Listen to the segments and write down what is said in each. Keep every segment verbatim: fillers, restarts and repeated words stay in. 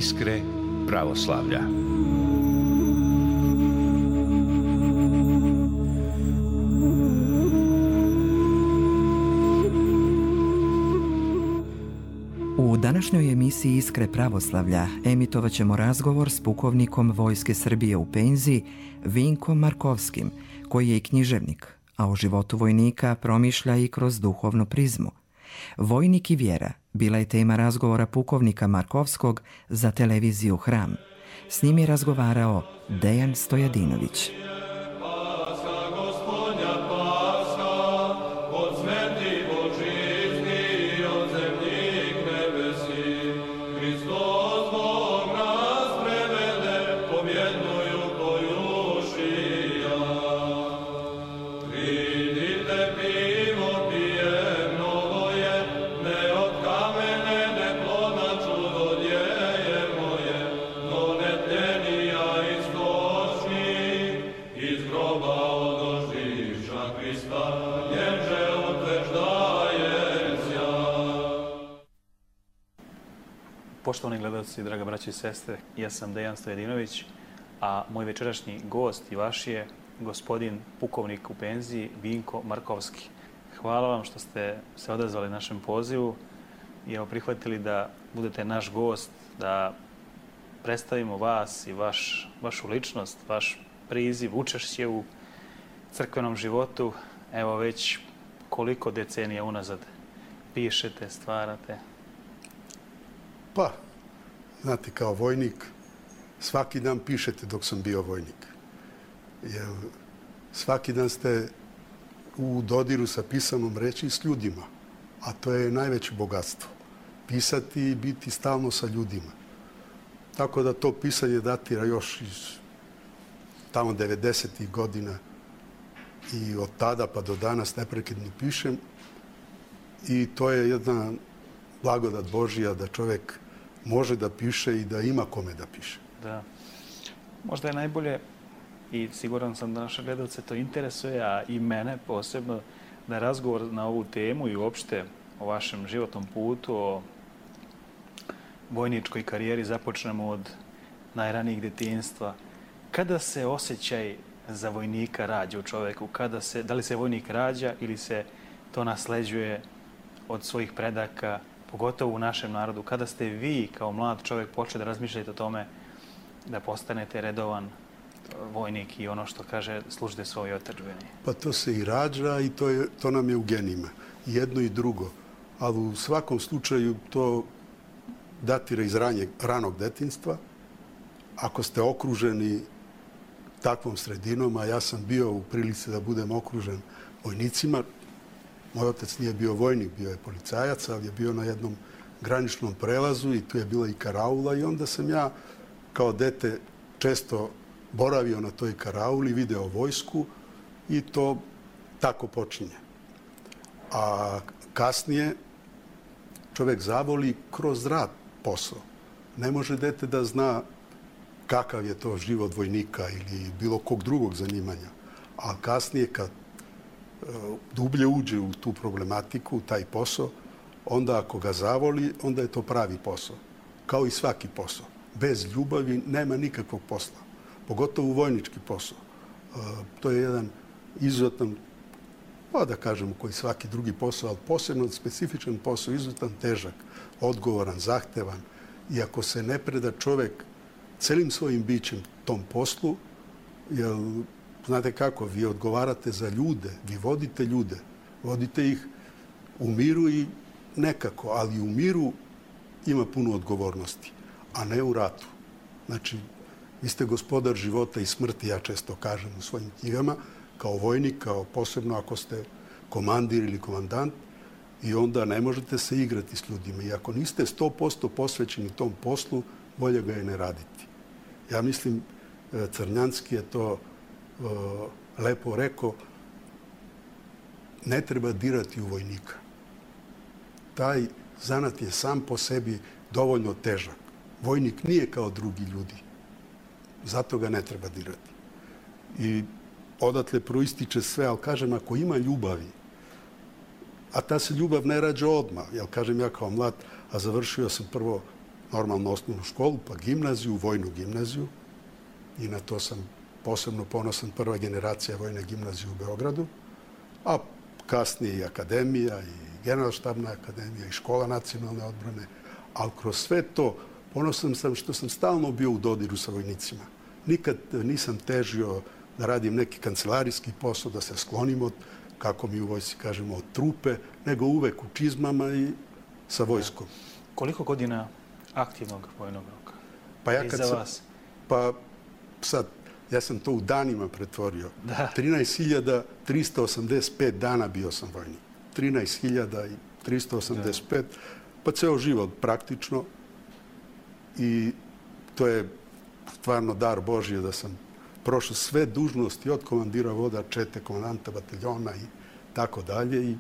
Iskre pravoslavlja. U današnjoj emisiji Iskre pravoslavlja emitovat ćemo razgovor s pukovnikom Vojske Srbije u penziji Vinkom Markovskim, koji je i književnik, a o životu vojnika promišlja i kroz duhovnu prizmu. Vojnik i vjera bila je tema razgovora pukovnika Markovskog za televiziju Hram. S njim je razgovarao Dejan Stojadinović. Poštovani gledalci, draga braća i sestre, ja sam Dejan Stojadinović, a moj večerašnji gost i vaš je gospodin pukovnik u penziji Vinko Markovski. Hvala vam što ste se odazvali našem pozivu i evo prihvatili da budete naš gost, da predstavimo vas i vaš, vašu ličnost, vaš priziv, učešće u crkvenom životu. Evo već koliko decenija unazad pišete, stvarate? Pa, znate, kao vojnik, svaki dan pišete dok sam bio vojnik. Jer svaki dan ste u dodiru sa pisanom reči s ljudima, a to je najveće bogatstvo. Pisati i biti stalno sa ljudima. Tako da to pisanje datira još iz tamo devedesetih godina i od tada pa do danas neprekidno pišem. I to je jedna blagodat Božija da čovjek može da piše i da ima kome da piše. Da. Možda je najbolje, i siguran sam da naše gledalce to interesuje, a i mene posebno, da razgovor na ovu temu i uopšte o vašem životnom putu, o vojničkoj karijeri započnemo od najranijih detinjstva. Kada se osjećaj za vojnika rađa u čovjeku? Kada se, da li se vojnik rađa ili se to nasleđuje od svojih predaka, pogotovo u našem narodu? Kada ste vi kao mlad čovjek počeli da razmišljate o tome da postanete redovan vojnik i ono što kaže služite svojoj otadžbini? Pa to se i rađa i to, je, to nam je u genima. Jedno i drugo. Ali u svakom slučaju to datira iz ranjeg, ranog detinjstva. Ako ste okruženi takvom sredinom, a ja sam bio u prilici da budem okružen vojnicima. Moj otac nije bio vojnik, bio je policajac, ali je bio na jednom graničnom prelazu i tu je bila i karaula i onda sam ja kao dete često boravio na toj karauli, video vojsku i to tako počinje. A kasnije čovjek zavoli kroz rad posao. Ne može dete da zna kakav je to život vojnika ili bilo kog drugog zanimanja. A kasnije kad dublje uđe u tu problematiku, u taj posao, onda ako ga zavoli, onda je to pravi posao. Kao i svaki posao. Bez ljubavi nema nikakvog posla. Pogotovo vojnički posao. To je jedan izuzetan, pa da kažemo koji svaki drugi posao, ali posebno specifičan posao, izuzetan težak, odgovoran, zahtevan. I ako se ne preda čovjek celim svojim bićem tom poslu, jer znate kako, vi odgovarate za ljude, vi vodite ljude, vodite ih u miru i nekako, ali u miru ima puno odgovornosti, a ne u ratu. Znači, vi ste gospodar života i smrti, ja često kažem u svojim knjigama, kao vojnik, kao posebno ako ste komandir ili komandant, i onda ne možete se igrati s ljudima. I ako niste sto posto posvećeni tom poslu, bolje ga je ne raditi. Ja mislim, Crnjanski je to lepo rekao, ne treba dirati u vojnika. Taj zanat je sam po sebi dovoljno težak. Vojnik nije kao drugi ljudi. Zato ga ne treba dirati. I odatle proističe sve, ali kažem, ako ima ljubavi, a ta se ljubav ne rađa odmah, jer kažem ja kao mlad, a završio sam prvo normalno osnovnu školu, pa gimnaziju, vojnu gimnaziju. I na to sam posebno ponosan, prva generacija vojne gimnazije u Beogradu. A kasnije i akademija, i generalštabna akademija, i škola nacionalne odbrane. Ali kroz sve to ponosan sam što sam stalno bio u dodiru sa vojnicima. Nikad nisam težio da radim neki kancelarijski posao, da se sklonim od, kako mi u vojsci kažemo, od trupe, nego uvek u čizmama i sa vojskom. Koliko godina aktivnog vojnog roka? Pa ja I kad za sam, vas? Pa sad, ja sam to u danima pretvorio. Da. trinaest hiljada trista osamdeset pet dana bio sam vojnik. trinaest hiljada trista osamdeset pet, da. Pa ceo život praktično. I to je stvarno dar Božije da sam prošao sve dužnosti od komandira voda, čete, komandanta bataljona i tako dalje i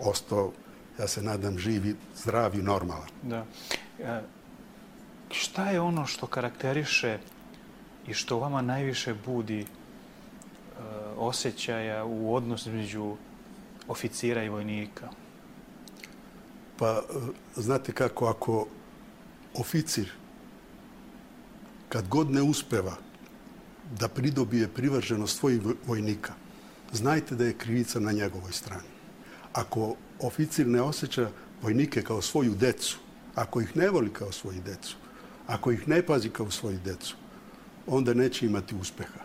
ostao, ja se nadam, živi, zdrav i normalan. Da. E, šta je ono što karakteriše i što u vama najviše budi e, osjećaja u odnosu između oficira i vojnika? Pa, znate kako, ako oficir, kad god ne uspeva da pridobije privrženost svojih vojnika, znajte da je krivica na njegovoj strani. Ako oficir ne osjeća vojnike kao svoju decu, ako ih ne voli kao svoju decu, ako ih ne pazi kao svoju decu, onda neće imati uspeha.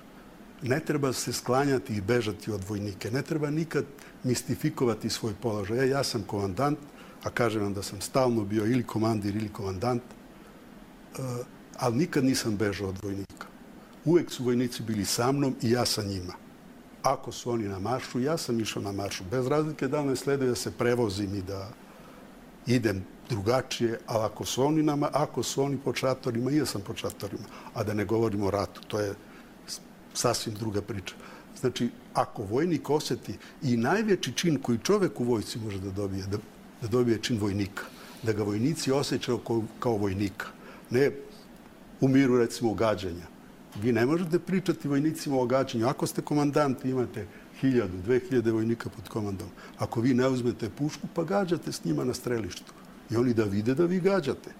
Ne treba se sklanjati i bežati od vojnike. Ne treba nikad mistifikovati svoj položaj. Ja, ja sam komandant, a kažem vam da sam stalno bio ili komandir ili komandant, ali nikad nisam bežao od vojnika. Uvek su vojnici bili sa mnom i ja sa njima. Ako su oni na maršu, ja sam išao na maršu. Bez razlike da li me sleduje da se prevozim i da idem drugačije, ali ako su oni, na, ako su oni pod šatorima, i ja sam pod šatorima. A da ne govorimo o ratu, to je sasvim druga priča. Znači, ako vojnik osjeti i najveći čin koji čovek u vojsci može da dobije, da, da dobije čin vojnika, da ga vojnici osjećaju kao, kao vojnika. Ne u miru, recimo, gađanja. Vi ne možete pričati vojnicima o gađanju. Ako ste komandant i imate hiljadu, dve hiljade vojnika pod komandom, ako vi ne uzmete pušku, pa gađate s njima na strelištu. I oni da vide da vi gađate.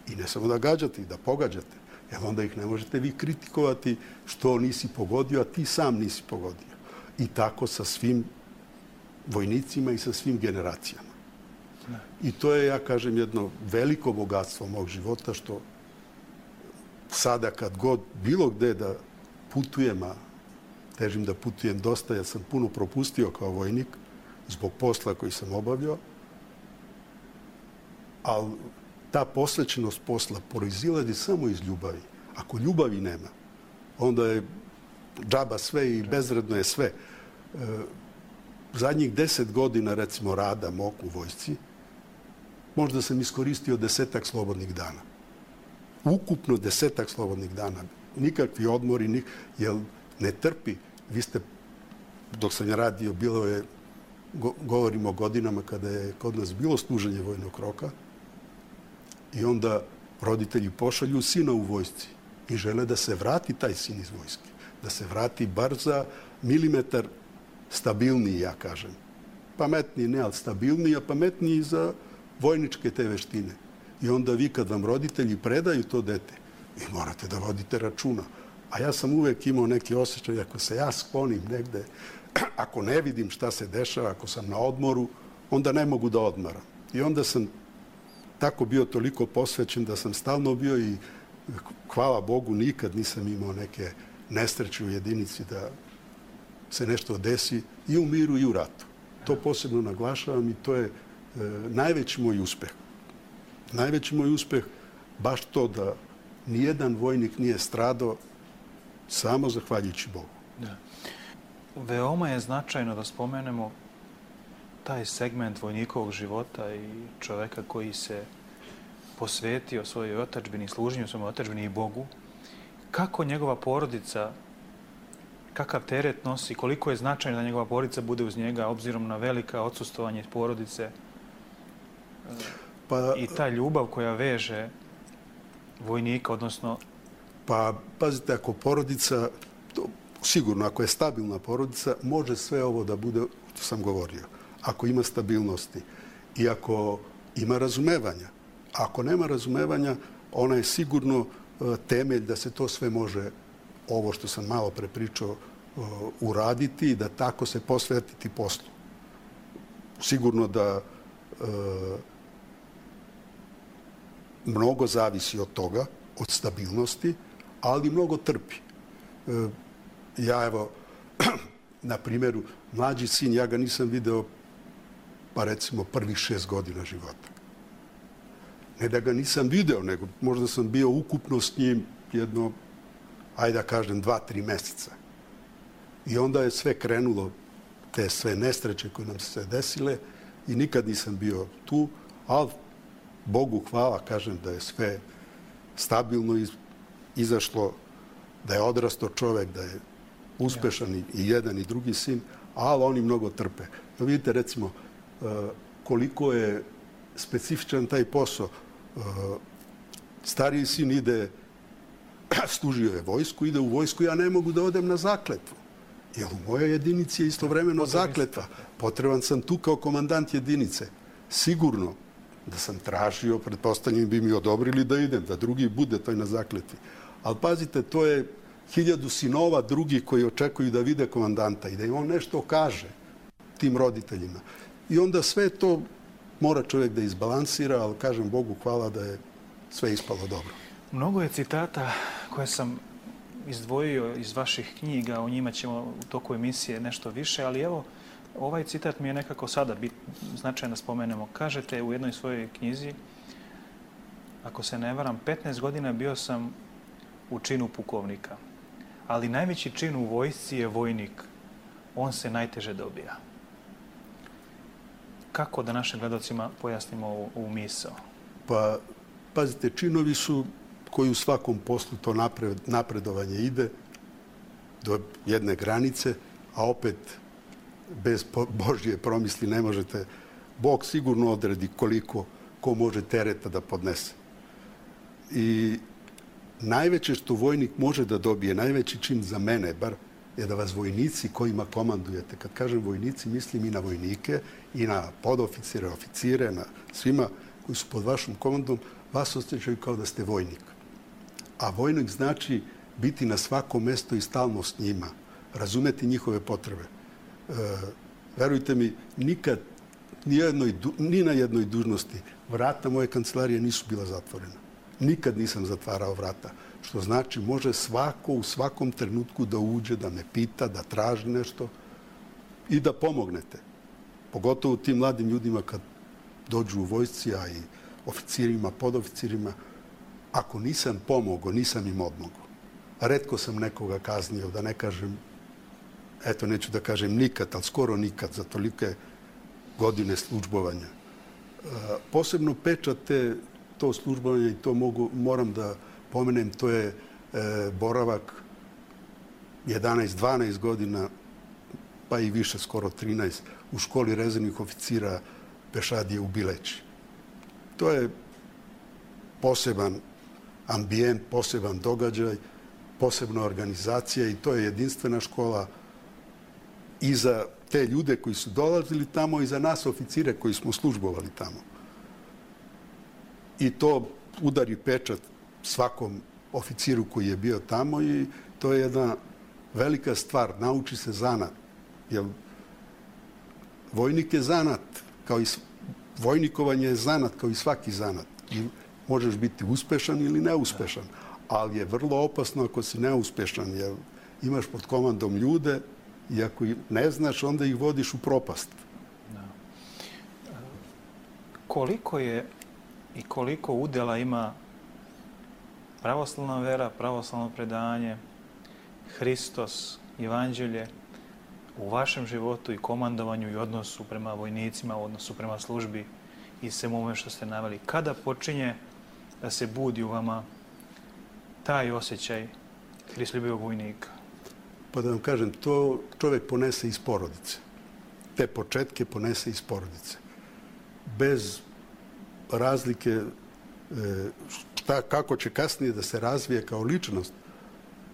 I ne samo da gađate, i da pogađate. Jer onda ih ne možete vi kritikovati što nisi pogodio, a ti sam nisi pogodio. I tako sa svim vojnicima i sa svim generacijama. I to je, ja kažem, jedno veliko bogatstvo mog života, što sada kad god bilo gde da putujem, a težim da putujem dosta, ja sam puno propustio kao vojnik zbog posla koji sam obavljao, ali ta posvećenost posla proizilazi samo iz ljubavi. Ako ljubavi nema, onda je džaba sve i bezvredno je sve. Zadnjih deset godina, recimo, rada mog u vojsci, možda sam iskoristio desetak slobodnih dana. Ukupno desetak slobodnih dana. Nikakvi odmori, nik, jer ne trpi. Vi ste, dok sam ja radio, bilo je, go, govorimo o godinama kada je kod nas bilo služenje vojnog roka, i onda roditelji pošalju sina u vojsci i žele da se vrati taj sin iz vojske. Da se vrati bar za milimetar stabilniji, ja kažem. Pametniji ne, ali stabilniji, a pametniji za vojničke te veštine. I onda vi, kad vam roditelji predaju to dete, vi morate da vodite računa. A ja sam uvek imao neki osjećaj, ako se ja sklonim negde, ako ne vidim šta se dešava, ako sam na odmoru, onda ne mogu da odmaram. I onda sam tako bio toliko posvećen da sam stalno bio i, hvala Bogu, nikad nisam imao neke nesreće u jedinici da se nešto desi i u miru i u ratu. To posebno naglašavam i to je e, najveći moj uspeh. Najveći moj uspeh baš to da nijedan vojnik nije stradao samo zahvaljujući Bogu. Da. Veoma je značajno da spomenemo taj segment vojnikovog života i čoveka koji se posvetio svojoj otadžbini, služenju svojoj otadžbini i Bogu. Kako njegova porodica, kakav teret nosi, koliko je značajno da njegova porodica bude uz njega, obzirom na velika odsustvovanje porodice pa, i ta ljubav koja veže vojnika, odnosno... Pa, pazite, ako porodica, to, sigurno, ako je stabilna porodica, može sve ovo da bude, što sam govorio. Ako ima stabilnosti i ako ima razumevanja. Ako nema razumevanja, ona je sigurno temelj da se to sve može, ovo što sam malo pre pričao, uraditi i da tako se posvetiti poslu. Sigurno da e, mnogo zavisi od toga, od stabilnosti, ali mnogo trpi. E, ja evo, na primjeru, mlađi sin, ja ga nisam video pa recimo prvih šest godina života. Ne da ga nisam video, nego možda sam bio ukupno s njim jedno, ajde da kažem, dva, tri meseca. I onda je sve krenulo, te sve nesreće koje nam se desile i nikad nisam bio tu, ali Bogu hvala, kažem da je sve stabilno izašlo, da je odrastao čovek, da je uspešan i jedan i drugi sin, ali oni mnogo trpe. Da vidite, recimo, koliko je specifičan taj posao. Stariji sin ide, služio je vojsku, ide u vojsku, ja ne mogu da odem na zakletvu. Jer u mojoj jedinici je istovremeno zakletva. Potreban sam tu kao komandant jedinice. Sigurno da sam tražio, pretpostavljam bi mi odobrili da idem, da drugi bude toj na zakletvi. Ali pazite, to je hiljadu sinova drugih koji očekuju da vide komandanta i da im on nešto kaže tim roditeljima. I onda sve to mora čovjek da izbalansira, ali kažem Bogu hvala da je sve ispalo dobro. Mnogo je citata koje sam izdvojio iz vaših knjiga, o njima ćemo u toku emisije nešto više, ali evo, ovaj citat mi je nekako sada bit, značajno spomenemo. Kažete u jednoj svojoj knjizi, ako se ne varam, petnaest godina bio sam u činu pukovnika, ali najveći čin u vojsci je vojnik. On se najteže dobija. Kako da našim gledalcima pojasnimo ovu, ovu misao? Pa, pazite, činovi su koji u svakom poslu to napred, napredovanje ide do jedne granice, a opet bez Božje promisli ne možete. Bog sigurno odredi koliko ko može tereta da podnese. I najveće što vojnik može da dobije, najveći čin za mene, bar, je da vas vojnici kojima komandujete, kad kažem vojnici, mislim i na vojnike, i na podoficire, oficire, na svima koji su pod vašom komandom, vas osjećaju kao da ste vojnik. A vojnik znači biti na svakom mestu i stalno s njima, razumeti njihove potrebe. E, verujte mi, nikad, ni, jednoj, ni na jednoj dužnosti, vrata moje kancelarije nisu bila zatvorena. Nikad nisam zatvarao vrata. Što znači, može svako u svakom trenutku da uđe, da me pita, da traži nešto i da pomognete. Pogotovo tim mladim ljudima kad dođu u vojsci, a i oficirima, podoficirima. Ako nisam pomogao, nisam im odmogao. Retko sam nekoga kaznio, da ne kažem, eto, neću da kažem nikad, ali skoro nikad, za tolike godine službovanja. Posebno pečate to službovanje i to mogu, moram da pomenem, to je e, boravak jedanaest dvanaest godina, pa i više, skoro trinaest, u školi rezervnih oficira pešadije u Bileći. To je poseban ambijent, poseban događaj, posebna organizacija i to je jedinstvena škola i za te ljude koji su dolazili tamo i za nas oficire koji smo službovali tamo. I to udari pečat svakom oficiru koji je bio tamo i to je jedna velika stvar. Nauči se zanat. Jer vojnik je zanat, kao i vojnikovanje je zanat kao i svaki zanat. I možeš biti uspešan ili neuspešan, ali je vrlo opasno ako si neuspešan, jer imaš pod komandom ljude i ako ne znaš, onda ih vodiš u propast. Da. Koliko je i koliko udela ima pravoslavna vera, pravoslavno predanje, Hristos, Evanđelje u vašem životu i komandovanju i odnosu prema vojnicima, u odnosu prema službi i svemu ovome što ste naveli? Kada počinje da se budi u vama taj osjećaj hristoljubivog vojnika? Pa da vam kažem, to čovjek ponese iz porodice. Te početke ponese iz porodice. Bez razlike šta, kako će kasnije da se razvije kao ličnost,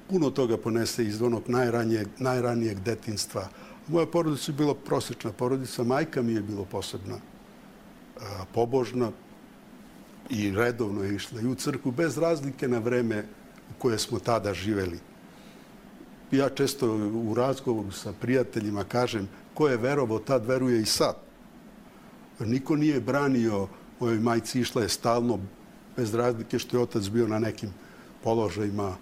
puno toga ponese iz onog najranijeg, najranijeg detinjstva. Moja porodica je bila prosječna porodica, majka mi je bila posebna, pobožna, i redovno je išla i u crkvu, bez razlike na vreme u koje smo tada živeli. Ja često u razgovoru sa prijateljima kažem ko je verovao, tad veruje i sad. Niko nije branio mojoj majci, išla je stalno, bez razlike što je otac bio na nekim položajima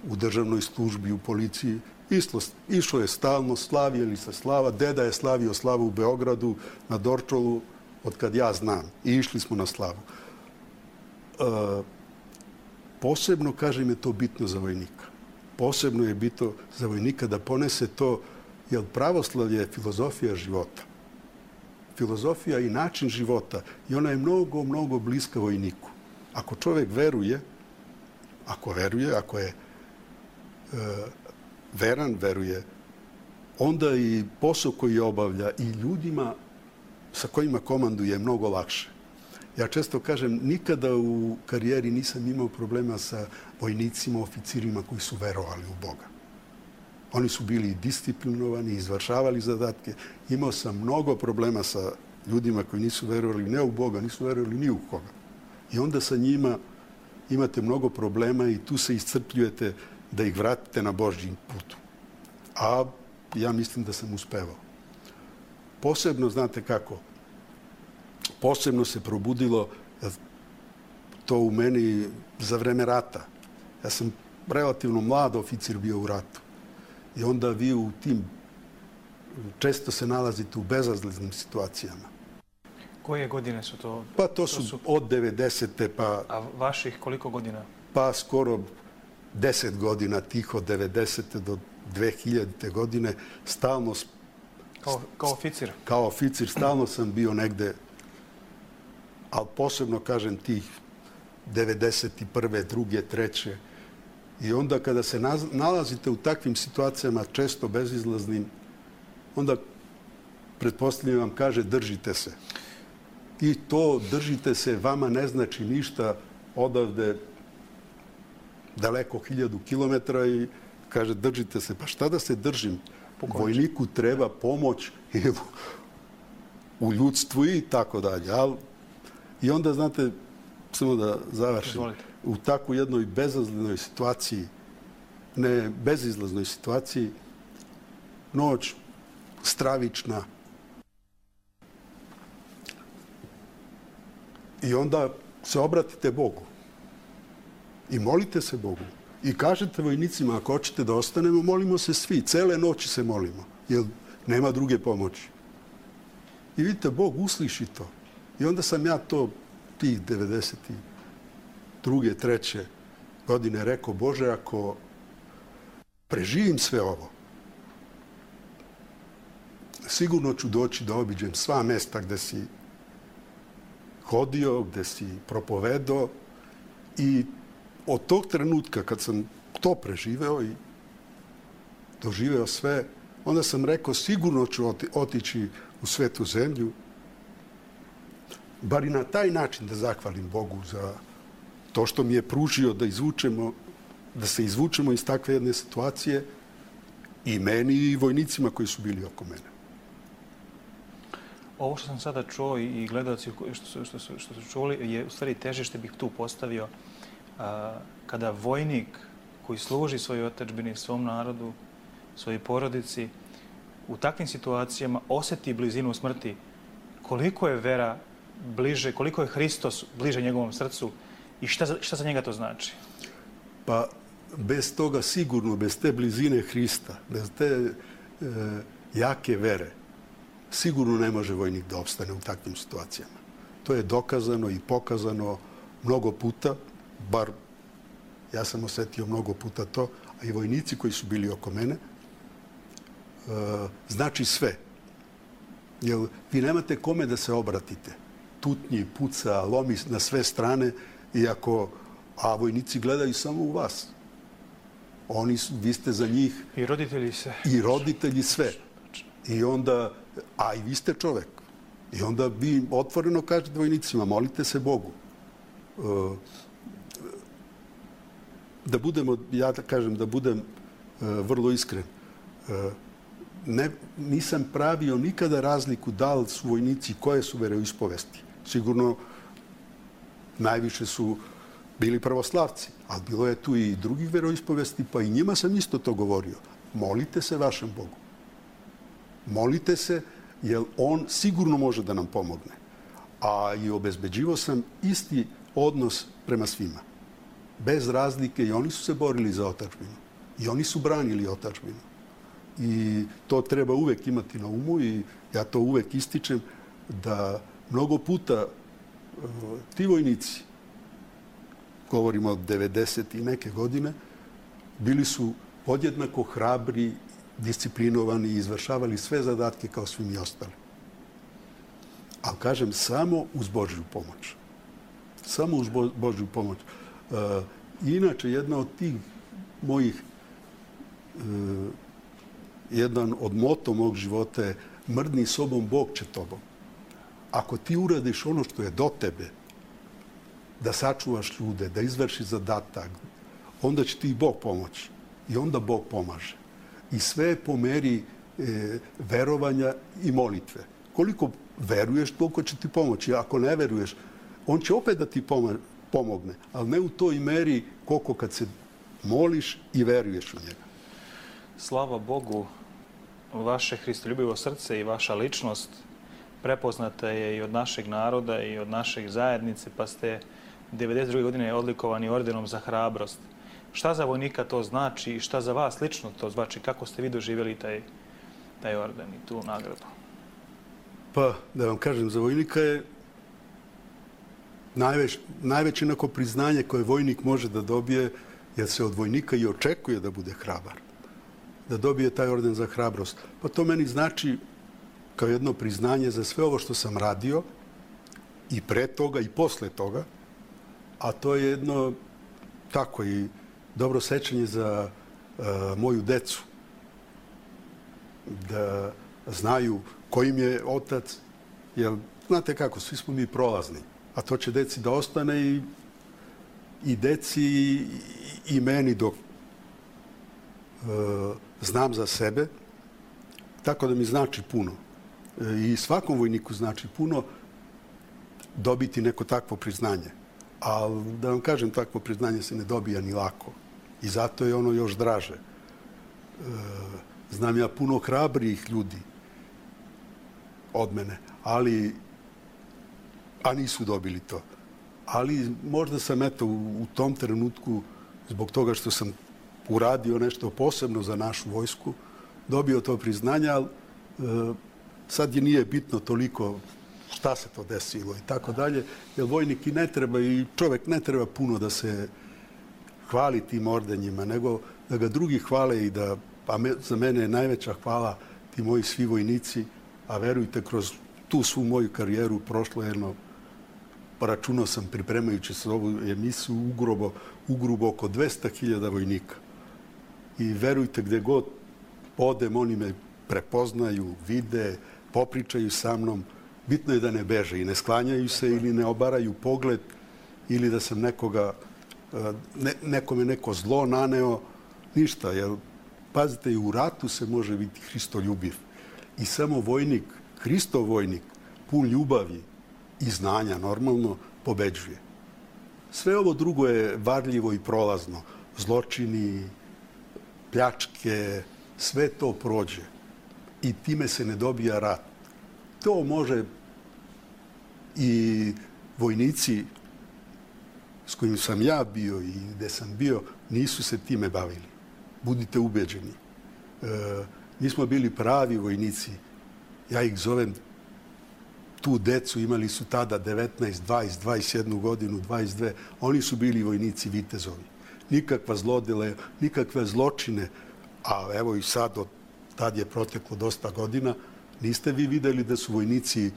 u državnoj službi, u policiji. Islo, išlo je stalno, slavili se slava. Deda je slavio slavu u Beogradu, na Dorčolu, od kad ja znam. I išli smo na slavu. E, posebno, kažem, je to bitno za vojnika. Posebno je bitno za vojnika da ponese to, jer pravoslavlje je filozofija života. Filozofija i način života. I ona je mnogo, mnogo bliska vojniku. Ako čovjek veruje, ako veruje, ako je e, veran, veruje, onda i posao koji obavlja i ljudima sa kojima komanduje je mnogo lakše. Ja često kažem, nikada u karijeri nisam imao problema sa vojnicima, oficirima koji su verovali u Boga. Oni su bili disciplinovani, izvršavali zadatke. Imao sam mnogo problema sa ljudima koji nisu verovali ne u Boga, nisu verovali ni u koga. I onda sa njima imate mnogo problema i tu se iscrpljujete da ih vratite na Božji putu. A ja mislim da sam uspevao. Posebno, znate kako, posebno se probudilo to u meni za vreme rata. Ja sam relativno mlad oficir bio u ratu. I onda vi u tim često se nalazite u bezazleznim situacijama. Koje godine su to? Pa to su, to su... od devedesete pa... A vaših koliko godina? Pa skoro deset godina tih od devedesete do dve hiljadite godine. Stalno... Kao, kao oficir? Kao oficir. Stalno sam bio negde, ali posebno, kažem, tih devedeset prve, druge, treće. I onda kada se nalazite u takvim situacijama, često bezizlaznim, onda pretpostavljam vam kaže držite se. I to držite se vama ne znači ništa odavde daleko hiljadu kilometara i kaže držite se. Pa šta da se držim? Vojniku treba pomoć u ljudstvu i tako dalje. I onda, znate, samo da završim. Izvolite. U takvu jednoj bezazlenoj situaciji, ne bezizlaznoj situaciji, noć stravična. I onda se obratite Bogu. I molite se Bogu. I kažete vojnicima, ako hoćete da ostanemo, molimo se svi. Cele noći se molimo, jer nema druge pomoći. I vidite, Bog usliši to. I onda sam ja to, tih devedeset druge, treće godine rekao, Bože, ako preživim sve ovo, sigurno ću doći da obiđem sva mesta gde si hodio, gde si propovedao i od tog trenutka kad sam to preživeo i doživeo sve, onda sam rekao sigurno ću otići u svetu zemlju, bar i na taj način da zahvalim Bogu za to što mi je pružio da izvučemo, da se izvučemo iz takve jedne situacije i meni i vojnicima koji su bili oko mene. Ovo što sam sada čuo i gledalci što su, što su, što su čuli je u stvari težište bih tu postavio a, kada vojnik koji služi svojoj otadžbini, svom narodu, svojoj porodici, u takvim situacijama osjeti blizinu smrti, koliko je vera bliže, koliko je Hristos bliže njegovom srcu i šta za, šta za njega to znači? Pa bez toga sigurno, bez te blizine Hrista, bez te e, jake vere, sigurno ne može vojnik da opstane u takvim situacijama. To je dokazano i pokazano mnogo puta, bar ja sam osjetio mnogo puta to, a i vojnici koji su bili oko mene, e, znači sve. Jer vi nemate kome da se obratite. Tutnji, puca, lomi na sve strane, iako, a vojnici gledaju samo u vas. Oni su, vi ste za njih... I roditelji se. I roditelji sve. I onda, a i vi ste čovek. I onda vi otvoreno kažete vojnicima, molite se Bogu. Da budemo, ja da kažem, da budem vrlo iskren. Ne, nisam pravio nikada razliku da li su vojnici koje su veroispovesti. Sigurno najviše su bili pravoslavci, ali bilo je tu i drugih veroispovesti, pa i njima sam isto to govorio. Molite se vašem Bogu. Molite se, jer on sigurno može da nam pomogne. A i obezbeđivao sam isti odnos prema svima. Bez razlike, i oni su se borili za otadžbinu. I oni su branili otadžbinu. I to treba uvek imati na umu i ja to uvek ističem da mnogo puta ti vojnici, govorimo od devedeset i neke godine, bili su podjednako hrabri, disciplinovani i izvršavali sve zadatke kao svi mi ostali. Ali kažem, samo uz Božju pomoć. Samo uz Božju pomoć. Inače, jedna od tih mojih, jedan od moto mog života je mrdni sobom, Bog će tobom. Ako ti uradiš ono što je do tebe, da sačuvaš ljude, da izvršiš zadatak, onda će ti i Bog pomoći. I onda Bog pomaže. I sve je po meri e, verovanja i molitve. Koliko veruješ, toliko će ti pomoći. Ako ne veruješ, on će opet da ti pomogne, ali ne u toj meri koliko kad se moliš i veruješ u njega. Slava Bogu, vaše hristoljubivo srce i vaša ličnost prepoznata je i od našeg naroda i od našeg zajednice, pa ste devedeset druge godine odlikovani ordenom za hrabrost. Šta za vojnika to znači i šta za vas lično to znači? Kako ste vi doživjeli taj, taj orden i tu nagradu? Pa, da vam kažem, za vojnika je najveć, najveće neko priznanje koje vojnik može da dobije, jer se od vojnika i očekuje da bude hrabar. Da dobije taj orden za hrabrost. Pa to meni znači kao jedno priznanje za sve ovo što sam radio i pre toga i posle toga, a to je jedno tako i dobro sećanje za uh, moju decu. Da znaju ko im je otac, jer znate kako, svi smo mi prolazni, a to će deci da ostane i, i deci i, i meni dok uh, znam za sebe, tako da mi znači puno. I svakom vojniku znači puno dobiti neko takvo priznanje. Ali da vam kažem, takvo priznanje se ne dobija ni lako. I zato je ono još draže. E, znam ja puno hrabrijih ljudi od mene, ali a nisu dobili to. Ali možda sam eto u, u tom trenutku, zbog toga što sam uradio nešto posebno za našu vojsku, dobio to priznanje, ali e, sad je nije bitno toliko šta se to desilo i tako dalje, jer vojnik i ne treba i čovjek ne treba puno da se hvali tim ordenjima, nego da ga drugi hvale i da, pa me, za mene je najveća hvala ti moji svi vojnici, a verujte, kroz tu svu moju karijeru prošlo jedno, pa računao sam pripremajući se ovu emisiju, ugrubo, ugrubo oko dvesta hiljada vojnika. I verujte, gdje god odem, oni me prepoznaju, vide, popričaju sa mnom. Bitno je da ne beže i ne sklanjaju se ili ne obaraju pogled ili da sam nekoga, ne, nekome neko zlo naneo. Ništa, jer pazite, i u ratu se može biti hristoljubiv. I samo vojnik, Hristov vojnik, pun ljubavi i znanja, normalno, pobeđuje. Sve ovo drugo je varljivo i prolazno. Zločini, pljačke, sve to prođe. I time se ne dobija rat. To može i vojnici s kojim sam ja bio i gde sam bio, nisu se time bavili. Budite ubeđeni. E, mi smo bili pravi vojnici. Ja ih zovem tu decu, imali su tada devetnaest, dvadeset, dvadeset jednu godinu, dvadeset dve. Oni su bili vojnici vitezovi. Nikakva zlodele, nikakve zločine. A evo i sad, od tad je proteklo dosta godina, niste vi videli da su vojnici e,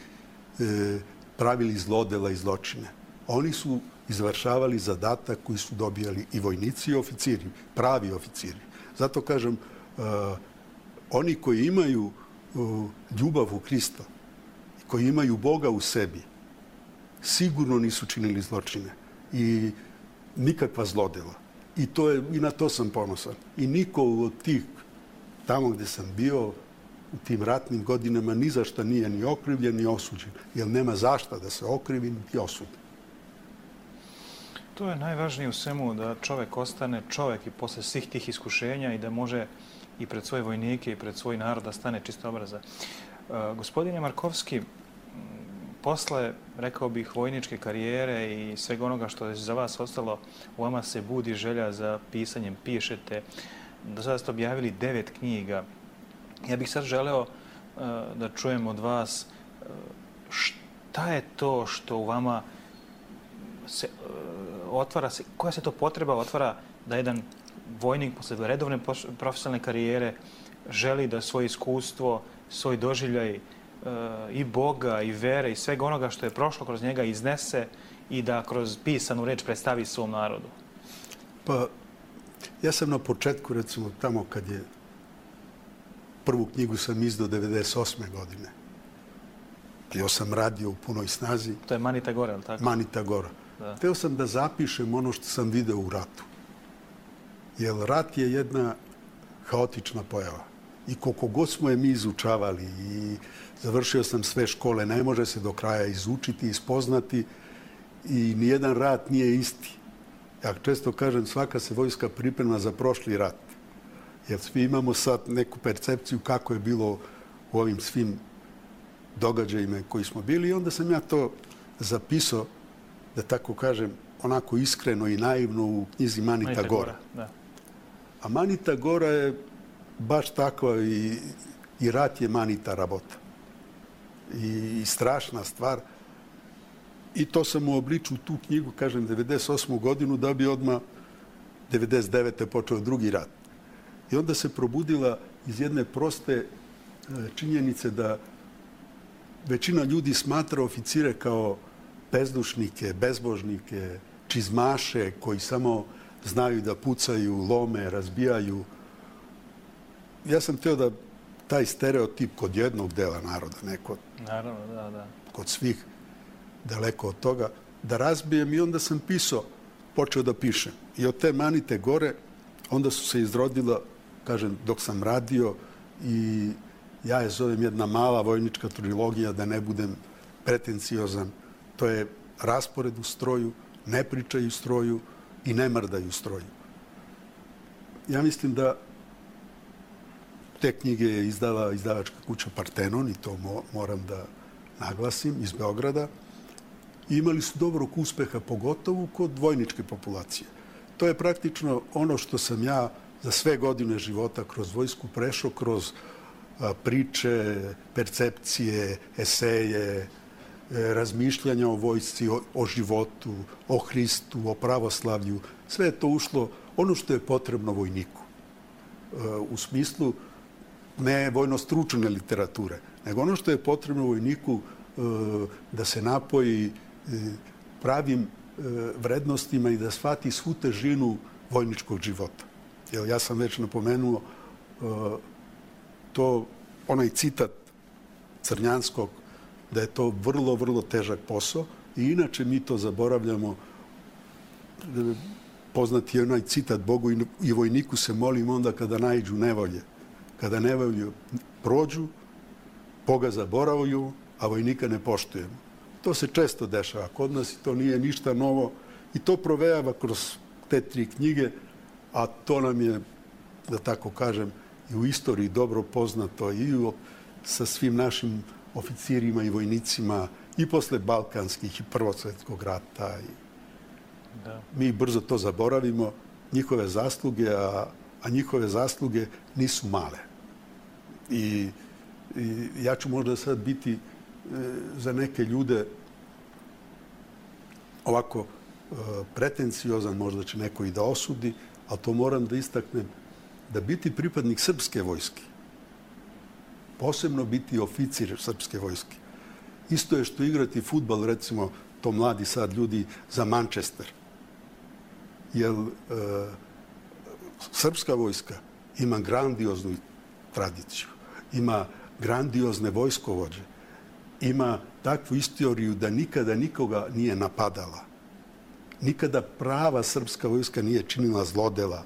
pravili zlodela i zločine. Oni su izvršavali zadatak koji su dobijali i vojnici i oficiri, pravi oficiri. Zato kažem, e, oni koji imaju e, ljubav u Hrista, koji imaju Boga u sebi, sigurno nisu činili zločine i nikakva zlodela. I, to je, i na to sam ponosan. I niko od tih, tamo gde sam bio, u tim ratnim godinama, ni za šta nije ni okrivljen, ni osuđen. Jer nema zašta da se okrivi, ni osudi. To je najvažnije u svemu, da čovjek ostane čovjek i posle svih tih iskušenja i da može i pred svoje vojnike i pred svoj narod da stane čisto obraza. Uh, gospodine Markovski, posle, rekao bih, vojničke karijere i svega onoga što je za vas ostalo, u vama se budi želja za pisanjem, pišete. Do sada ste objavili devet knjiga. Ja bih sad želeo uh, da čujem od vas uh, šta je to što u vama se uh, otvara, se, koja se to potreba otvara da jedan vojnik posle redovne profesionalne karijere želi da svoje iskustvo, svoj doživljaj i Boga, i vere, i svega onoga što je prošlo kroz njega iznese i da kroz pisanu reč predstavi svom narodu? Pa, ja sam na početku, recimo, tamo kad je prvu knjigu sam izdao devedeset osme godine. Jo sam radio u punoj snazi. To je Manita Gora, ali tako? Manita Gora. Da. Hteo sam da zapišem ono što sam video u ratu. Jer rat je jedna haotična pojava. I koliko god smo je mi izučavali i završio sam sve škole, ne može se do kraja izučiti, ispoznati i nijedan rat nije isti. Ja često kažem, svaka se vojska priprema za prošli rat. Jer svi imamo sad neku percepciju kako je bilo u ovim svim događajima koji smo bili i onda sam ja to zapisao, da tako kažem, onako iskreno i naivno u knjizi Manita, Manita Gora. Gora da. A Manita Gora je baš takva i, i rat je Manita rabota. I, i strašna stvar. I to sam uobličio tu knjigu, kažem, devedeset osmu godinu, da bi odmah devedeset devete počeo drugi rat. I onda se probudila iz jedne proste činjenice da većina ljudi smatra oficire kao bezdušnike, bezbožnike, čizmaše koji samo znaju da pucaju, lome, razbijaju. Ja sam htio da taj stereotip kod jednog dela naroda, ne kod, Naravno, da, da. kod svih, daleko od toga, da razbijem i onda sam pisao, počeo da pišem. I od te Manite Gore onda su se izrodila, kažem, dok sam radio i ja je zovem jedna mala vojnička trilogija, da ne budem pretenciozan. To je raspored u stroju, ne pričaju stroju i ne mrdaju stroju. Ja mislim da te knjige je izdala izdavačka kuća Partenon i to moram da naglasim, iz Beograda. I imali su dobrog uspeha, pogotovo kod vojničke populacije. To je praktično ono što sam ja za sve godine života kroz vojsku prešao, kroz a, priče, percepcije, eseje, e, razmišljanja o vojsci, o, o životu, o Hristu, o pravoslavlju. Sve je to ušlo ono što je potrebno vojniku. E, u smislu ne vojno-stručne literature, nego ono što je potrebno vojniku e, da se napoji e, pravim e, vrednostima i da shvati svu težinu vojničkog života. Jer ja sam već napomenuo e, to, onaj citat Crnjanskog, da je to vrlo, vrlo težak posao i inače mi to zaboravljamo. E, poznati je onaj citat, Bogu i vojniku se molim onda kada naiđu nevolje. Kada nevolje prođu, Boga zaboravaju, a vojnika ne poštujemo. To se često dešava kod nas i to nije ništa novo i to provejava kroz te tri knjige, a to nam je, da tako kažem, i u istoriji dobro poznato i u, sa svim našim oficirima i vojnicima i posle Balkanskih i Prvosvetskog rata. I da. Mi brzo to zaboravimo, njihove zasluge, a, a njihove zasluge nisu male. I, i ja ću možda sad biti e, za neke ljude ovako e, pretenciozan, možda će neko i da osudi, ali to moram da istaknem, da biti pripadnik srpske vojske, posebno biti oficir srpske vojske, isto je što igrati fudbal, recimo, to mladi sad ljudi, za Manchester. Jer e, srpska vojska ima grandioznu tradiciju, ima grandiozne vojskovođe, ima takvu istoriju da nikada nikoga nije napadala. Nikada prava srpska vojska nije činila zlodela,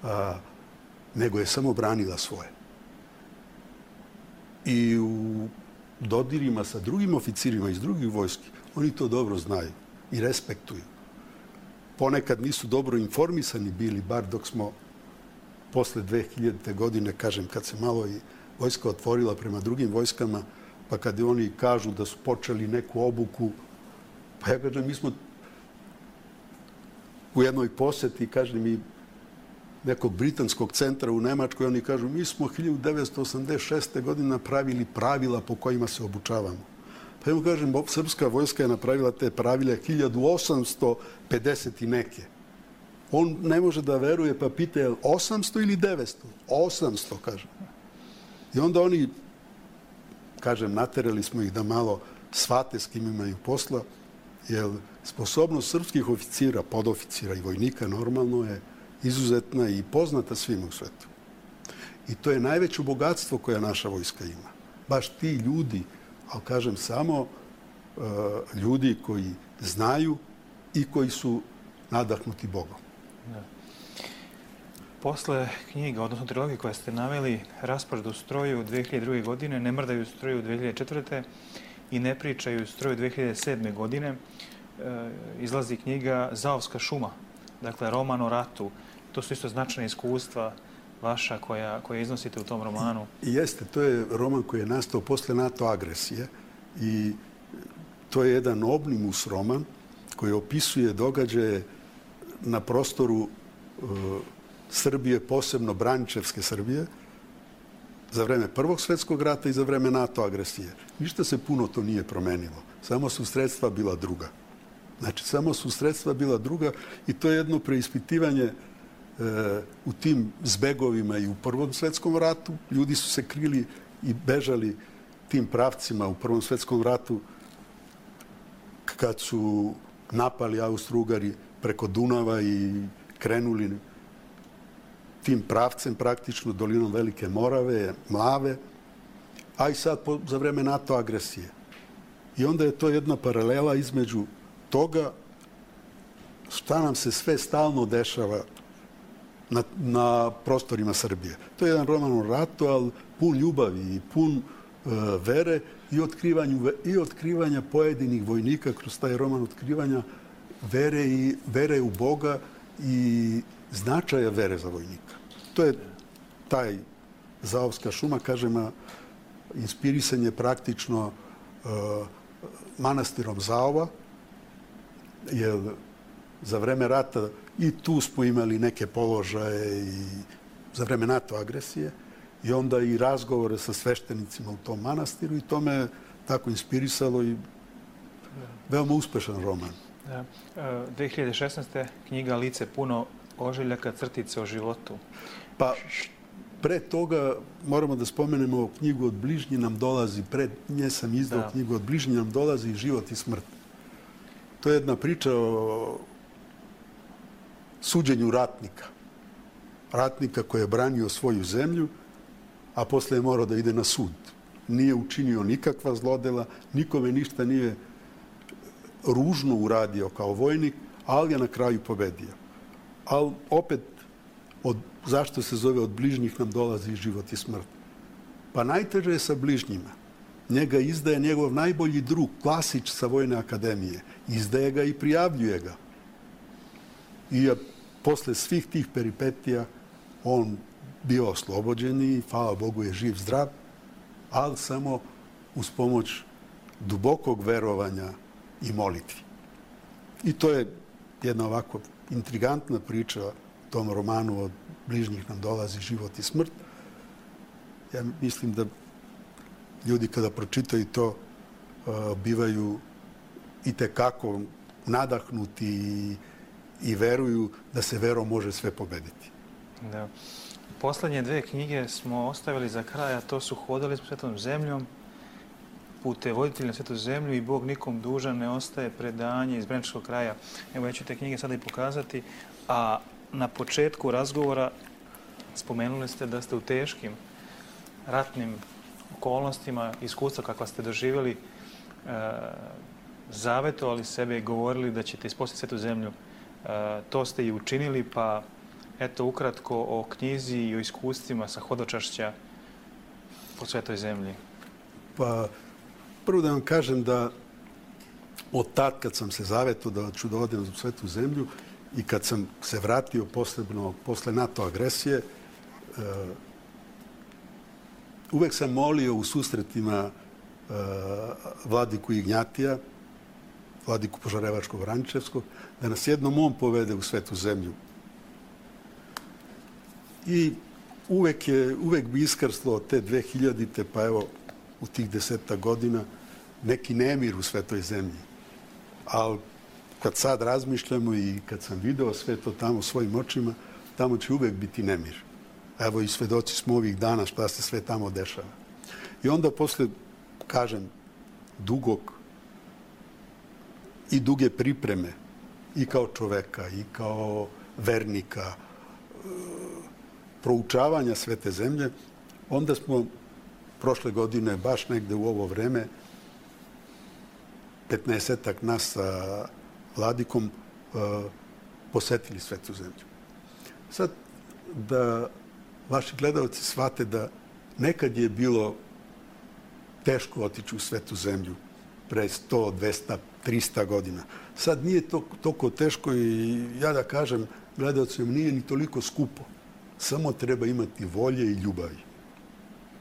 a, nego je samo branila svoje. I u dodirima sa drugim oficirima iz drugih vojski, oni to dobro znaju i respektuju. ponekad nisu dobro informisani bili, bar dok smo posle dve hiljadite. godine, kažem, kad se malo i vojska otvorila prema drugim vojskama, pa kad oni kažu da su počeli neku obuku, pa ja kažem, mi smo u jednoj poseti, kažem mi, nekog britanskog centra u Nemačkoj, oni kažu, mi smo hiljadu devetsto osamdeset šeste. godine napravili pravila po kojima se obučavamo. Pa ja mu kažem, srpska vojska je napravila te pravile hiljadu osamsto pedeset i neke. On ne može da veruje, pa pita je osamsto ili devetsto? osamsto, kaže. I onda oni, kažem, naterali smo ih da malo shvate s kim imaju posla, jer sposobnost srpskih oficira, podoficira i vojnika normalno je izuzetna i poznata svima u svetu. I to je najveće bogatstvo koje naša vojska ima. Baš ti ljudi, ali kažem samo uh, ljudi koji znaju i koji su nadahnuti Bogom. Da. Posle knjiga, odnosno trilogije koje ste naveli, Raspored u stroju dve hiljade druge. godine, Ne mrdaju u stroju dve hiljade četvrte. i Ne pričaju u stroju dve hiljade sedme. godine, e, izlazi knjiga Zaovska šuma, dakle roman o ratu. To su isto značajne iskustva vaša koja, koja iznosite u tom romanu. I, jeste, to je roman koji je nastao posle NATO agresije i to je jedan omnibus roman koji opisuje događaje na prostoru uh, Srbije, posebno Braničevske Srbije, za vreme Prvog svjetskog rata i za vreme NATO agresije. Ništa se puno to nije promenilo. Samo su sredstva bila druga. Znači, samo su sredstva bila druga i to je jedno preispitivanje e, u tim zbegovima i u Prvom svjetskom ratu. Ljudi su se krili i bežali tim pravcima u Prvom svjetskom ratu kad su napali Austro-Ugari preko Dunava i krenuli tim pravcem, praktično dolinom Velike Morave, Mlave, a i sad po, za vreme NATO agresije. I onda je to jedna paralela između toga šta nam se sve stalno dešava na, na prostorima Srbije. To je jedan roman o ratu, ali pun ljubavi i pun uh, vere i, otkrivanju, i otkrivanja pojedinih vojnika kroz taj roman otkrivanja vere, i, vere u Boga i značaja vere za vojnika. To je taj Zaovska šuma, kažem, inspirisan je praktično uh, manastirom Zaova, jer za vreme rata i tu smo imali neke položaje i za vreme NATO agresije i onda i razgovore sa sveštenicima u tom manastiru i to me tako inspirisalo i veoma uspešan roman. Da. dve hiljade šesnaeste. knjiga Lice puno ožiljaka, crtice o životu. Pa, pre toga moramo da spomenemo knjigu Od bližnji nam dolazi. Pred nje sam izdao da. knjigu Od bližnji nam dolazi i život i smrt. To je jedna priča o suđenju ratnika. Ratnika koji je branio svoju zemlju, a posle je morao da ide na sud. Nije učinio nikakva zlodela, nikome ništa nije ružno uradio kao vojnik, ali je na kraju pobedio. Ali opet, od, zašto se zove Od bližnjih nam dolazi život i smrt? Pa najteže je sa bližnjima. Njega izdaje njegov najbolji drug, Klasić sa Vojne akademije. Izdaje ga i prijavljuje ga. I je posle svih tih peripetija on bio oslobođen i, hvala Bogu, je živ, zdrav, ali samo uz pomoć dubokog verovanja i molitvi. I to je jedna ovako intrigantna priča o tom romanu Od bližnjih nam dolazi život i smrt. Ja mislim da ljudi kada pročitaju to uh, bivaju i tekako nadahnuti i, i veruju da se verom može sve pobediti. Da. Poslednje dve knjige smo ostavili za kraj, a to su Hodali smo svetom zemljom, Pute voditelji na svetu zemlju i Bog nikom dužan ne ostaje, predanje iz Braničevskog kraja. Evo, ja ću te knjige sada i pokazati. A na početku razgovora spomenuli ste da ste u teškim ratnim okolnostima, iskustva kakva ste doživjeli, e, zavetovali sebe i govorili da ćete ispostaviti svetu zemlju. E, to ste i učinili, pa eto ukratko o knjizi i o iskustvima sa hodočašća po svetoj zemlji. Pa, prvo da vam kažem da od tad kad sam se zaveto da ću da odem u svetu zemlju, I kad sam se vratio posebno posle NATO agresije, uvek sam molio u susretima vladiku Ignjatija, vladiku Požarevačko-Vraničevskog, da nas jednom on povede u svetu zemlju. I uvek, je, uvek bi iskrslo od te dve hiljadite, pa evo u tih deseta godina, neki nemir u svetoj zemlji. Ali kad sad razmišljamo i kad sam video sve to tamo svojim očima, tamo će uvek biti nemir. Evo i svedoci smo ovih dana šta se sve tamo dešava. I onda posle, kažem, dugog i duge pripreme i kao čoveka i kao vernika, proučavanja svete zemlje, onda smo prošle godine, baš negde u ovo vreme, petnaestak nas sa vladikom posetili svetu zemlju. Sad, da vaši gledalci shvate da nekad je bilo teško otići u svetu zemlju pre sto, dvesta, trista godina. Sad nije to toliko teško i ja da kažem gledalcima nije ni toliko skupo. Samo treba imati volje i ljubavi.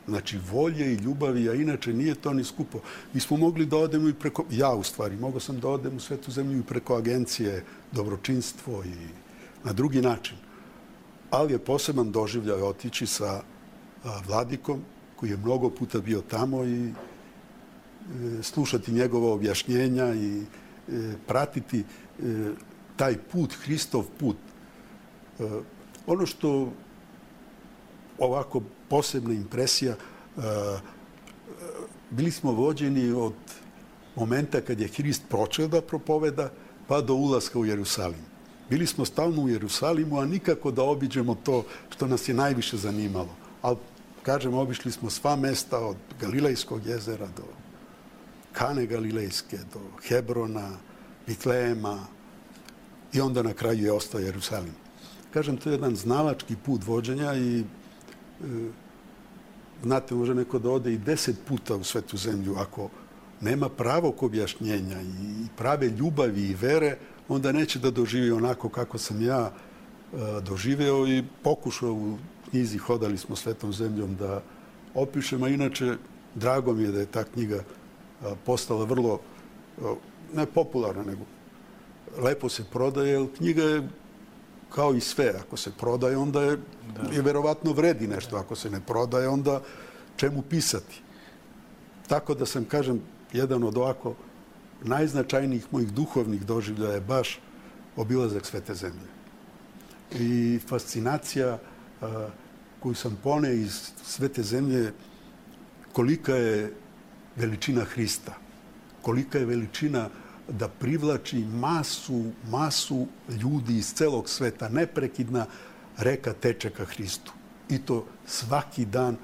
Znači, volje i ljubavi, a inače nije to ni skupo. Mi smo mogli da odemo i preko, ja u stvari, mogao sam da odem u svetu zemlju i preko agencije Dobročinstvo i na drugi način. Ali je poseban doživljaj otići sa vladikom, koji je mnogo puta bio tamo i slušati njegova objašnjenja i pratiti taj put, Hristov put. Ono što ovako posebna impresija, bili smo vođeni od momenta kad je Hrist počeo da propoveda pa do ulaska u Jerusalim. Bili smo stalno u Jerusalimu, a nikako da obiđemo to što nas je najviše zanimalo. Ali, kažem, obišli smo sva mesta od Galilejskog jezera do Kane Galilejske, do Hebrona, Vitlejema i onda na kraju je ostao Jerusalim. Kažem, to je jedan znalački put vođenja i e, znate, može neko da ode i deset puta u svetu zemlju. Ako nema pravog objašnjenja i prave ljubavi i vere, onda neće da doživi onako kako sam ja e, doživeo i pokušao u knjizi Hodali smo svetom zemljom da opišem, a inače drago mi je da je ta knjiga a, postala vrlo, a, ne popularna, nego lepo se prodaje, jer knjiga je kao i sve. Ako se prodaje, onda je, je verovatno vredi nešto. Ako se ne prodaje, onda čemu pisati? Tako da sam, kažem, jedan od ovako najznačajnijih mojih duhovnih doživljaja je baš obilazak svete zemlje. I fascinacija a, koju sam pone iz svete zemlje, kolika je veličina Hrista, kolika je veličina da privlači masu, masu ljudi iz celog sveta. Neprekidna reka teče ka Hristu. I to svaki dan,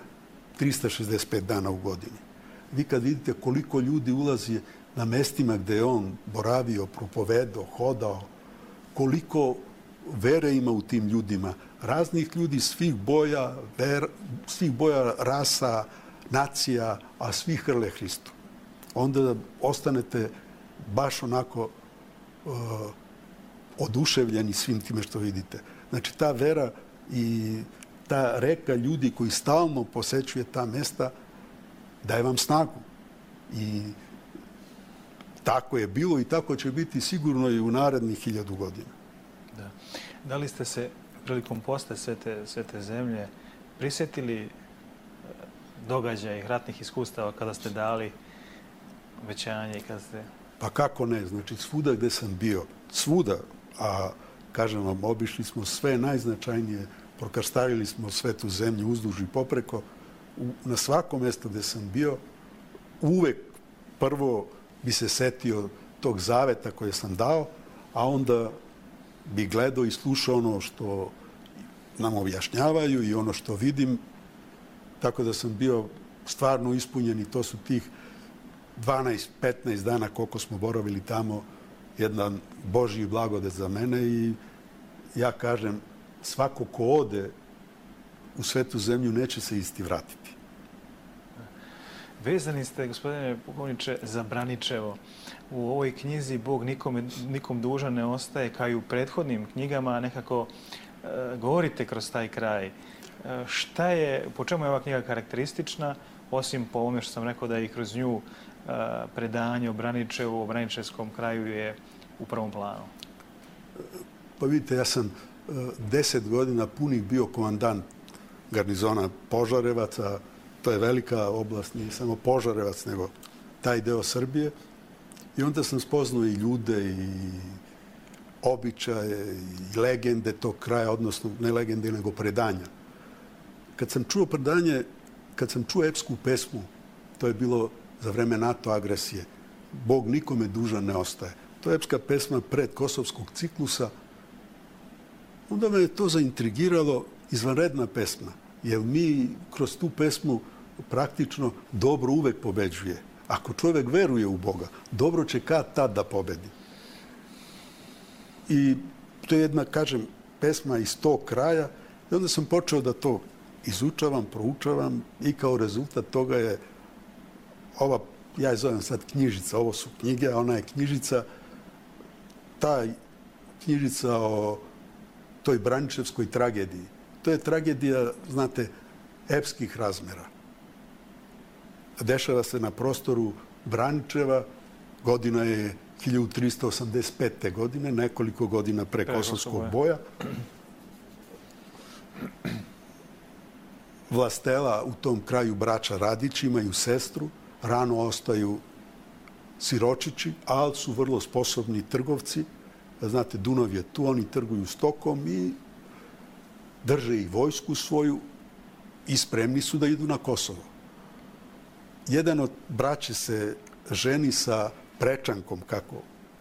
trista šezdeset pet dana u godini. Vi kad vidite koliko ljudi ulazi na mestima gde je on boravio, propovedao, hodao, koliko vere ima u tim ljudima, raznih ljudi svih boja, ver, svih boja rasa, nacija, a svi hrle Hristu. Onda ostanete baš onako uh, oduševljeni svim time što vidite. Znači, ta vera i ta reka ljudi koji stalno posećuje ta mesta daje vam snagu. I tako je bilo i tako će biti sigurno i u narednih hiljadu godina. Da. Da li ste se prilikom posta svete, svete zemlje prisjetili događaja i ratnih iskustava kada ste dali obećanje i kada ste... Pa kako ne? Znači, svuda gde sam bio, svuda, a kažem vam, obišli smo sve najznačajnije, prokrstavili smo svetu zemlju uzduž i popreko. U, na svakom mjestu gde sam bio, uvek prvo bi se setio tog zaveta koje sam dao, a onda bi gledao i slušao ono što nam objašnjavaju i ono što vidim. Tako da sam bio stvarno ispunjen i to su tih dvanaest petnaest dana koliko smo boravili tamo, jedan Božji blagodet za mene i ja kažem, svako ko ode u svetu zemlju neće se isti vratiti. Vezani ste, gospodine pukovniče, za Braničevo. U ovoj knjizi Bog nikome, nikom dužan ne ostaje, kao i u prethodnim knjigama, nekako e, govorite kroz taj kraj. E, šta je, po čemu je ova knjiga karakteristična, osim po ovome što sam rekao da i kroz nju e, predanje o Braničevu, o Braničevskom kraju je u prvom planu? Pa vidite, ja sam e, deset godina punih bio komandant garnizona Požarevaca. To je velika oblast, nije samo Požarevac, nego taj deo Srbije. I onda sam spoznao i ljude, i običaje, i legende tog kraja, odnosno ne legende, nego predanja. Kad sam čuo predanje, kad sam čuo epsku pesmu, to je bilo za vreme NATO agresije, Bog nikome dužan ne ostaje. To je epska pesma pred Kosovskog ciklusa. Onda me je to zaintrigiralo, izvanredna pesma. Jer mi kroz tu pesmu praktično dobro uvek pobeđuje. Ako čovjek veruje u Boga, dobro će kad tad da pobedi. I to je jedna, kažem, pesma iz tog kraja. I onda sam počeo da to izučavam, proučavam i kao rezultat toga je ova, ja je zovem sad knjižica, ovo su knjige, a ona je knjižica, ta knjižica o toj Braničevskoj tragediji. To je tragedija, znate, epskih razmera. Dešava se na prostoru Braničeva, godina je hiljadu trista osamdeset pete. godine, nekoliko godina pre Kosovskog boja. Vlastela u tom kraju braća Radić imaju sestru, rano ostaju siročići, ali su vrlo sposobni trgovci. Znate, Dunav je tu, oni trguju stokom i drže i vojsku svoju i spremni su da idu na Kosovo. Jedan od braće se ženi sa prečankom, kako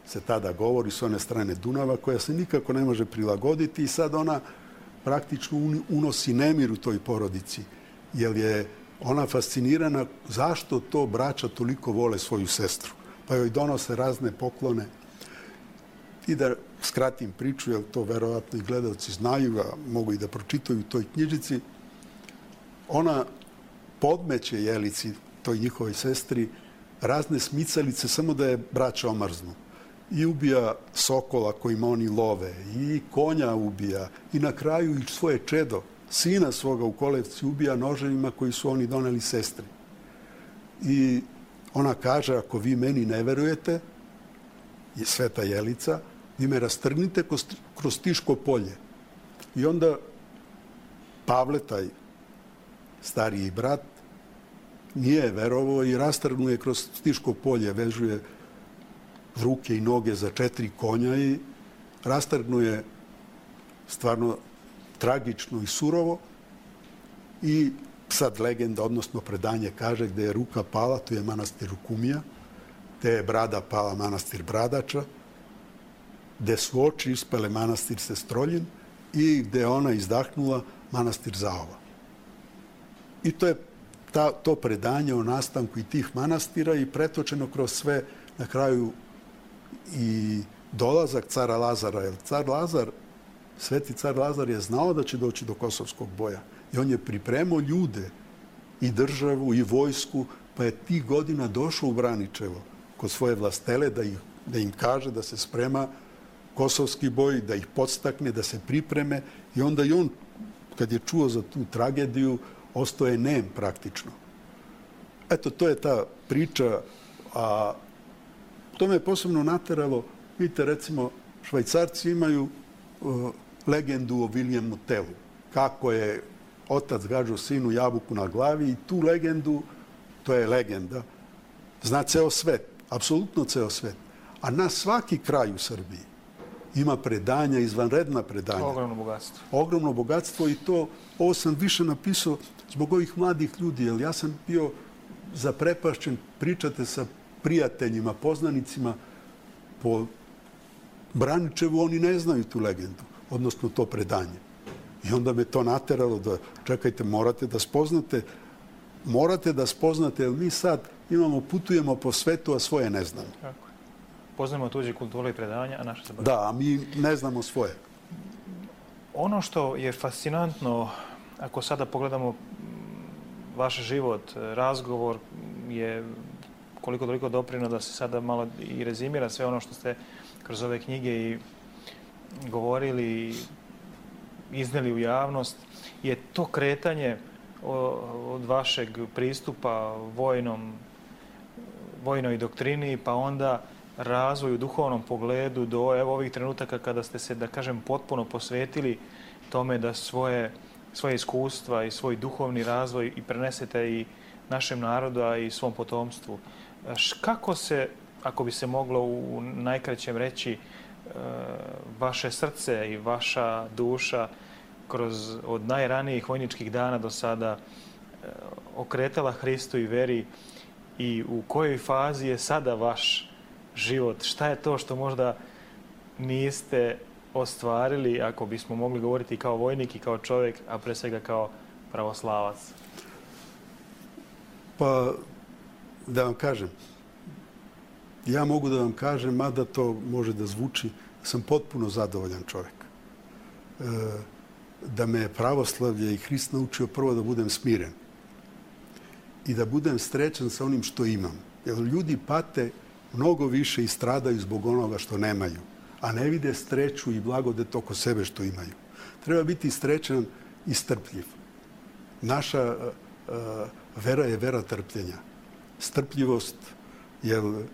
se tada govori, s one strane Dunava, koja se nikako ne može prilagoditi i sad ona praktično unosi nemir u toj porodici, jer je ona fascinirana zašto to braća toliko vole svoju sestru. Pa joj donose razne poklone. I da skratim priču, jer to verovatno i gledalci znaju, a mogu i da pročitaju u toj knjižici, ona podmeće Jelici, toj njihovoj sestri, razne smicalice samo da je braća omrznu. I ubija sokola kojima oni love, i konja ubija, i na kraju i svoje čedo, sina svoga u kolevci ubija noževima koji su oni doneli sestri. I ona kaže, ako vi meni ne verujete, je Sveta Jelica, vi me rastrgnite kroz Tiško polje. I onda Pavle, taj stariji brat, nije verovao i rastrgnuje kroz Tiško polje, vežuje ruke i noge za četiri konja i rastrgnuje stvarno tragično i surovo. I sad legenda, odnosno predanje, kaže gde je ruka pala, to je manastir Rukumija, gde je brada pala, manastir Bradača, gde su oči ispale, manastir Sestroljin, i gde je ona izdahnula, manastir Zaova. I to je ta, to predanje o nastanku i tih manastira i pretočeno kroz sve, na kraju i dolazak cara Lazara. Jer car Lazar, sveti car Lazar je znao da će doći do Kosovskog boja. I on je pripremao ljude, i državu, i vojsku, pa je tih godina došao u Braničevo kod svoje vlastele da, ih, da im kaže da se sprema kosovski boj, da ih podstakne, da se pripreme. I onda i on, kad je čuo za tu tragediju, ostao je nem praktično. Eto, to je ta priča, a to me je posebno nateralo. Vidite, recimo, Švajcarci imaju uh, legendu o Williamu Tellu. Kako je otac gađao sinu jabuku na glavi i tu legendu, to je legenda, zna ceo svet, apsolutno ceo svet. A na svaki kraj u Srbiji ima predanja, izvanredna predanja. Ogromno bogatstvo. Ogromno bogatstvo i to, ovo sam više napisao zbog ovih mladih ljudi, jer ja sam bio zaprepašćen, pričate sa prijateljima, poznanicima po Braničevu, oni ne znaju tu legendu, odnosno to predanje. I onda me to nateralo da, čekajte, morate da spoznate, morate da spoznate, jer mi sad imamo, putujemo po svetu, a svoje ne znamo. Tako je. Poznajemo tuđe kulture i predanja, a naše se baš. Da, a mi ne znamo svoje. Ono što je fascinantno, ako sada pogledamo vaš život, razgovor je koliko toliko doprinio da se sada malo i rezimira sve ono što ste kroz ove knjige i govorili i izneli u javnost. Je to kretanje od vašeg pristupa vojnom, vojnoj doktrini, pa onda razvoju u duhovnom pogledu do evo ovih trenutaka kada ste se, da kažem, potpuno posvetili tome da svoje, svoje iskustva i svoj duhovni razvoj i prenesete i našem narodu, a i svom potomstvu. Kako se, ako bi se moglo u najkraćem reći, vaše srce i vaša duša kroz od najranijih vojničkih dana do sada okretala Hristu i veri i u kojoj fazi je sada vaš život? Šta je to što možda niste ostvarili, ako bismo mogli govoriti kao vojnik i kao čovjek, a pre svega kao pravoslavac? Pa, da vam kažem, ja mogu da vam kažem, mada to može da zvuči, sam potpuno zadovoljan čovjek. E, da me je pravoslavlje i Hrist naučio prvo da budem smiren i da budem srećan sa onim što imam. Jer ljudi pate mnogo više i stradaju zbog onoga što nemaju, a ne vide sreću i blagodet oko sebe što imaju. Treba biti srećan i strpljiv. Naša uh, vera je vera trpljenja. Strpljivost, jer uh,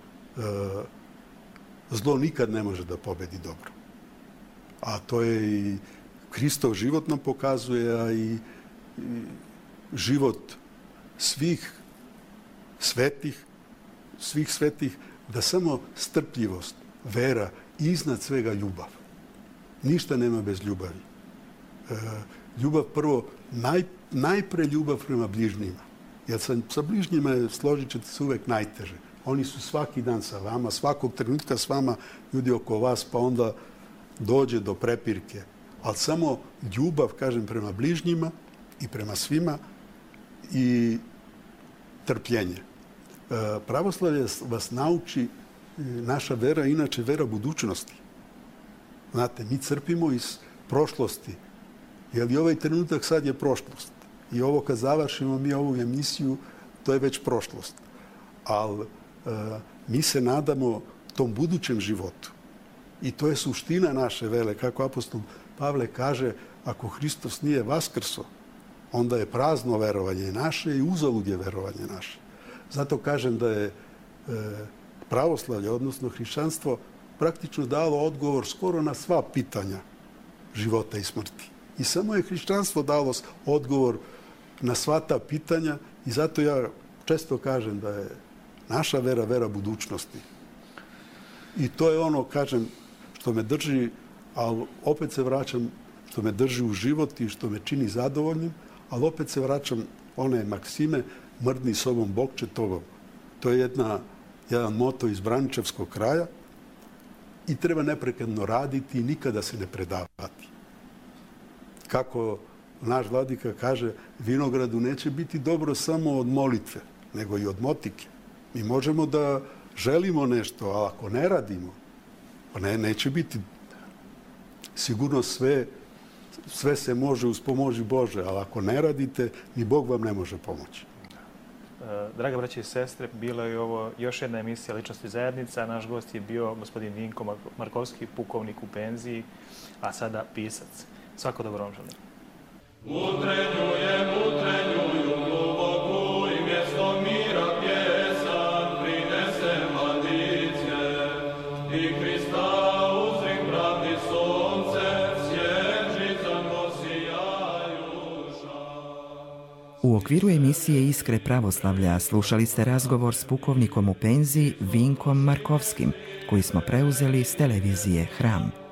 zlo nikad ne može da pobedi dobro. A to je i Hristov život nam pokazuje, a i, i život svih svetih, svih svetih, da samo strpljivost, vera i iznad svega ljubav. Ništa nema bez ljubavi. E, ljubav prvo, naj, najpre ljubav prema bližnjima. Jer sa, sa bližnjima je, složit ćete se, uvek najteže. Oni su svaki dan sa vama, svakog trenutka s vama, ljudi oko vas, pa onda dođe do prepirke. Ali samo ljubav, kažem, prema bližnjima i prema svima i trpljenje. E, pravoslavlje vas nauči, naša vera, inače vera budućnosti. Znate, mi crpimo iz prošlosti, jer i ovaj trenutak sad je prošlost. I ovo kad završimo mi ovu emisiju, to je već prošlost. Ali e, mi se nadamo tom budućem životu. I to je suština naše vere, kako apostol Pavle kaže, ako Hristos nije vaskrso, onda je prazno verovanje naše i uzalud je verovanje naše. Zato kažem da je e, pravoslavlje, odnosno hrišćanstvo, praktično dalo odgovor skoro na sva pitanja života i smrti. I samo je hrišćanstvo dalo odgovor na sva ta pitanja i zato ja često kažem da je naša vera vera budućnosti. I to je ono, kažem, što me drži, ali opet se vraćam, što me drži u život i što me čini zadovoljnim, ali opet se vraćam one maksime, mrdni sobom Bog će tobom. To je jedna, jedan moto iz Braničevskog kraja i treba neprekidno raditi i nikada se ne predavati. Kako naš vladika kaže, vinogradu neće biti dobro samo od molitve, nego i od motike. Mi možemo da želimo nešto, a ako ne radimo, pa ne, neće biti. Sigurno sve, sve se može uz pomoć Bože, ali ako ne radite, ni Bog vam ne može pomoći. Draga braće i sestre, bila je ovo još jedna emisija Ličnosti zajednica. Naš gost je bio gospodin Vinko Markovski, pukovnik u penziji, a sada pisac. Svako dobro vam želim. Utrenjujem, utrenjuju globoku i mjesto mira pjesan prinese mladice i Hrista uzrik pravdi sonce svježicom posijajuša. U okviru emisije Iskre pravoslavlja slušali ste razgovor s pukovnikom u penziji Vinkom Markovskim, koji smo preuzeli s televizije Hram.